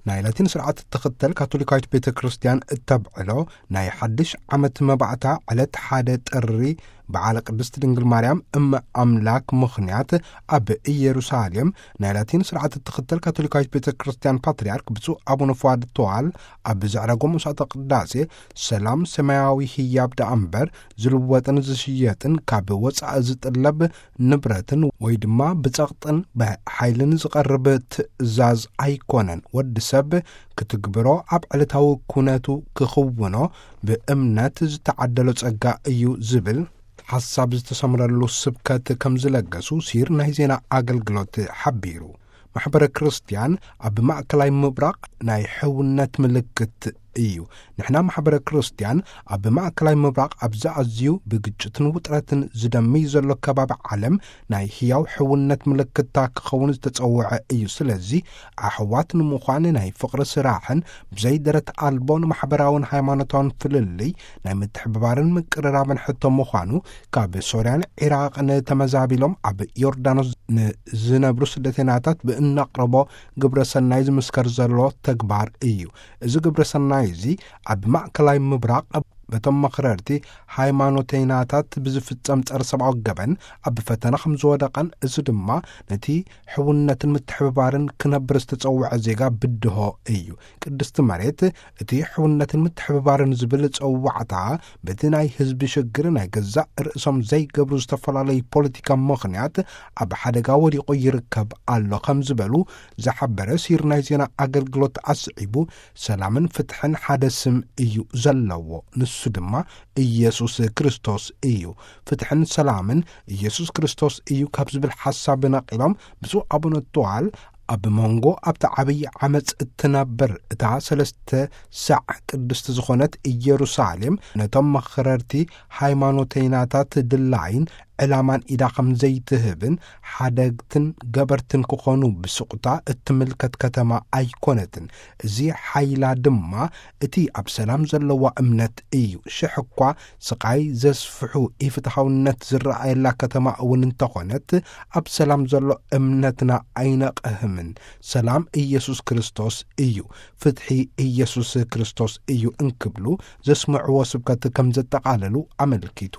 ናይ ላቲን ስርዓት እትኽተል ካቶሊካዊት ቤተ ክርስቲያን እተብዕሎ ናይ ሓድሽ ዓመት መባእታ ዕለት ሓደ ጥሪ በዓለ ቅድስት ድንግል ማርያም እመ ኣምላክ ምኽንያት ኣብ ኢየሩሳሌም ናይ ላቲን ስርዓት እትኽተል ካቶሊካዊት ቤተ ክርስቲያን ፓትርያርክ ብፁዕ ኣቡነ ፉኣድ ተዋል ኣብ ዘዕረጎ መስዋዕተ ቅዳሴ ሰላም ሰማያዊ ህያብ ደኣ እምበር ዝልወጥን ዝሽየጥን ካብ ወፃኢ ዝጥለብ ንብረትን ወይ ድማ ብጸቕጥን ብሓይልን ዝቐርብ ትእዛዝ ኣይኮነን። ወዲ ሰብ ክትግብሮ ኣብ ዕለታዊ ኩነቱ ክኽውኖ ብእምነት ዝተዓደሎ ጸጋ እዩ ዝብል ሓሳብ ዝተሰምረሉ ስብከት ከም ዝለገሱ ሲር ናይ ዜና ኣገልግሎት ሓቢሩ። ማሕበረ ክርስቲያን ኣብ ማእከላይ ምብራቕ ናይ ሕውነት ምልክት እዩ። ንሕና ማሕበረ ክርስቲያን ኣብ ማእከላይ ምብራቕ ኣብዚ ኣዝዩ ብግጭትን ውጥረትን ዝደምይ ዘሎ ከባቢ ዓለም ናይ ህያው ሕውነት ምልክታ ክኸውን ዝተጸውዐ እዩ። ስለዚ ኣሕዋት ንምዃን ናይ ፍቕሪ ስራሕን ብዘይ ደረት ኣልቦ ንማሕበራውን ሃይማኖታውን ፍልልይ ናይ ምትሕብባርን ምቅርራብን ሕቶ ምዃኑ ካብ ሶርያን ዒራቕን ተመዛቢሎም ኣብ ዮርዳኖስ ንዝነብሩ ስደተናታት ብእነቕርቦ ግብረ ሰናይ ዝምስከር ዘሎ ተግባር እዩ። እዚ ግብረ ሰናይ እዚ ኣብ ማእከላይ ምብራቕ በቶም መኽረርቲ ሃይማኖተይናታት ብዝፍጸም ጸረ ሰብኣዊ ገበን ኣብ ፈተና ከም ዝወደቐን እዚ ድማ ነቲ ሕውነትን ምትሕብባርን ክነብር ዝተጸውዐ ዜጋ ብድሆ እዩ። ቅድስቲ መሬት እቲ ሕውነትን ምትሕብባርን ዝብል ጸዋዕታ በቲ ናይ ህዝቢ ሽግር ናይ ገዛእ ርእሶም ዘይገብሩ ዝተፈላለዩ ፖለቲካ ምኽንያት ኣብ ሓደጋ ወዲቑ ይርከብ ኣሎ ከም ዝበሉ ዝሓበረ ሲር ናይ ዜና ኣገልግሎት ኣስዒቡ፣ ሰላምን ፍትሕን ሓደ ስም እዩ ዘለዎ፣ ንሱ ድማ ኢየሱስ ክርስቶስ እዩ። ፍትሕን ሰላምን ኢየሱስ ክርስቶስ እዩ ካብ ዝብል ሓሳብ ነቒሎም ብፁዕ ኣቡነ ተዋል ኣብ መንጎ ኣብቲ ዓብዪ ዓመፅ እትነብር እታ ሰለስተ ሳዕ ቅድስቲ ዝኾነት ኢየሩሳሌም ነቶም መኽረርቲ ሃይማኖተይናታት ድላይን ዕላማን ኢዳ ከም ዘይትህብን ሓደግትን ገበርትን ክኾኑ ብስቕታ እትምልከት ከተማ ኣይኮነትን። እዚ ሓይላ ድማ እቲ ኣብ ሰላም ዘለዋ እምነት እዩ። ሽሕ እኳ ስቓይ ዘስፍሑ ኢፍትሓውነት ዝረኣየላ ከተማ እውን እንተኾነት ኣብ ሰላም ዘሎ እምነትና ኣይነቕህምን። ሰላም ኢየሱስ ክርስቶስ እዩ፣ ፍትሒ ኢየሱስ ክርስቶስ እዩ እንክብሉ ዘስምዕዎ ስብከት ከም ዘጠቓለሉ ኣመልኪቱ።